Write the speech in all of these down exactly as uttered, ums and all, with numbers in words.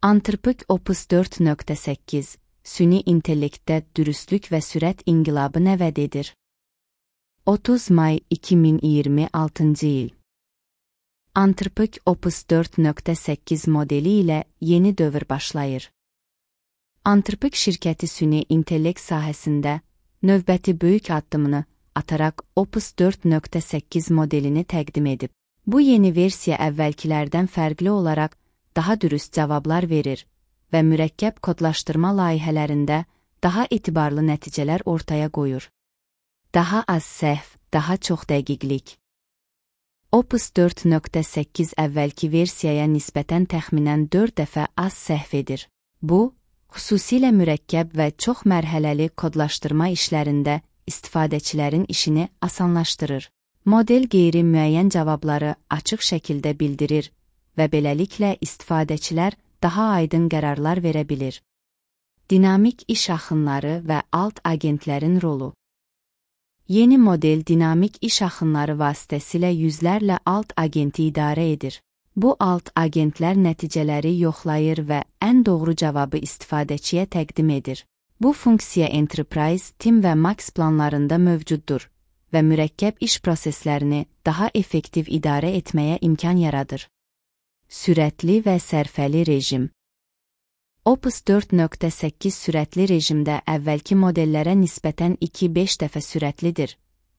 Anthropic Opus dört nöqtə səkkiz Süni intellektdə dürüstlük və sürət inqilabı nəvəd edir. otuz may iki min iyirmi altıncı il. Anthropic Opus dört nöqtə səkkiz modeli ilə yeni dövr başlayır. Anthropic şirkəti süni intellekt sahəsində növbəti böyük addımını ataraq Opus dört nöqtə səkkiz modelini təqdim edib. Bu yeni versiya əvvəlkilərdən fərqli olaraq daha dürüst cavablar verir və mürəkkəb kodlaşdırma layihələrində daha etibarlı nəticələr ortaya qoyur. Daha az səhv, daha çox dəqiqlik. Opus dört nöqtə səkkiz əvvəlki versiyaya nisbətən təxminən dörd dəfə az səhv edir. Bu, xüsusilə mürəkkəb və çox mərhələli kodlaşdırma işlərində istifadəçilərin işini asanlaşdırır. Model qeyri-müəyyən cavabları açıq şəkildə bildirir və beləliklə istifadəçilər daha aydın qərarlar verə bilir. Dinamik iş axınları və alt agentlərin rolu. Yeni model dinamik iş axınları vasitəsilə yüzlərlə alt agenti idarə edir. Bu alt agentlər nəticələri yoxlayır və ən doğru cavabı istifadəçiyə təqdim edir. Bu funksiya Enterprise, Team və Max planlarında mövcuddur və mürəkkəb iş proseslərini daha effektiv idarə etməyə imkan yaradır. Sürətli və sərfəli rejim. Opus dört nöqtə səkkiz sürətli rejimdə əvvəlki modellərə nisbətən iki beş dəfə sürətlidir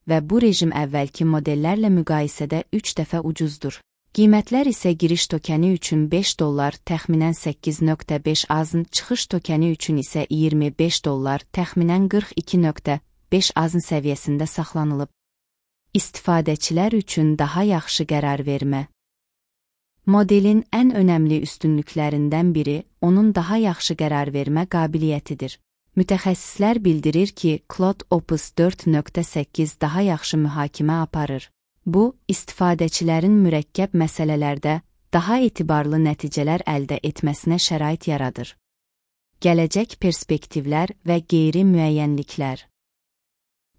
və bu rejim əvvəlki modellərlə müqayisədə üç dəfə ucuzdur. Qiymətlər isə giriş tokeni üçün beş dollar, təxminən səkkiz nöqtə beş azın, çıxış tokeni üçün isə iyirmi beş dollar, təxminən qırx iki nöqtə beş azın səviyyəsində saxlanılıb. İstifadəçilər üçün daha yaxşı qərar vermə. Modelin ən önəmli üstünlüklərindən biri onun daha yaxşı qərar vermə qabiliyyətidir. Mütəxəssislər bildirir ki, Claude Opus dört nöqtə səkkiz daha yaxşı mühakimə aparır. Bu, istifadəçilərin mürəkkəb məsələlərdə daha etibarlı nəticələr əldə etməsinə şərait yaradır. Gələcək perspektivlər və qeyri-müəyyənliklər.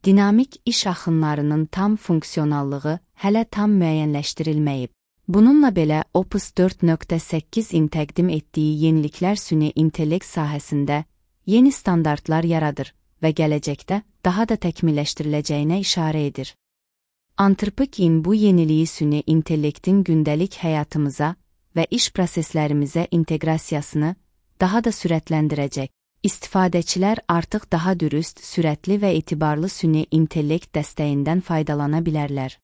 Dinamik iş axınlarının tam funksionallığı hələ tam müəyyənləşdirilməyib. Bununla belə Opus dört nöqtə səkkizin təqdim etdiyi yeniliklər süni intellekt sahəsində yeni standartlar yaradır və gələcəkdə daha da təkmilləşdiriləcəyinə işarə edir. Anthropic'in bu yeniliyi süni intellektin gündəlik həyatımıza və iş proseslərimizə inteqrasiyasını daha da sürətləndirəcək. İstifadəçilər artıq daha dürüst, sürətli və etibarlı süni intellekt dəstəyindən faydalana bilərlər.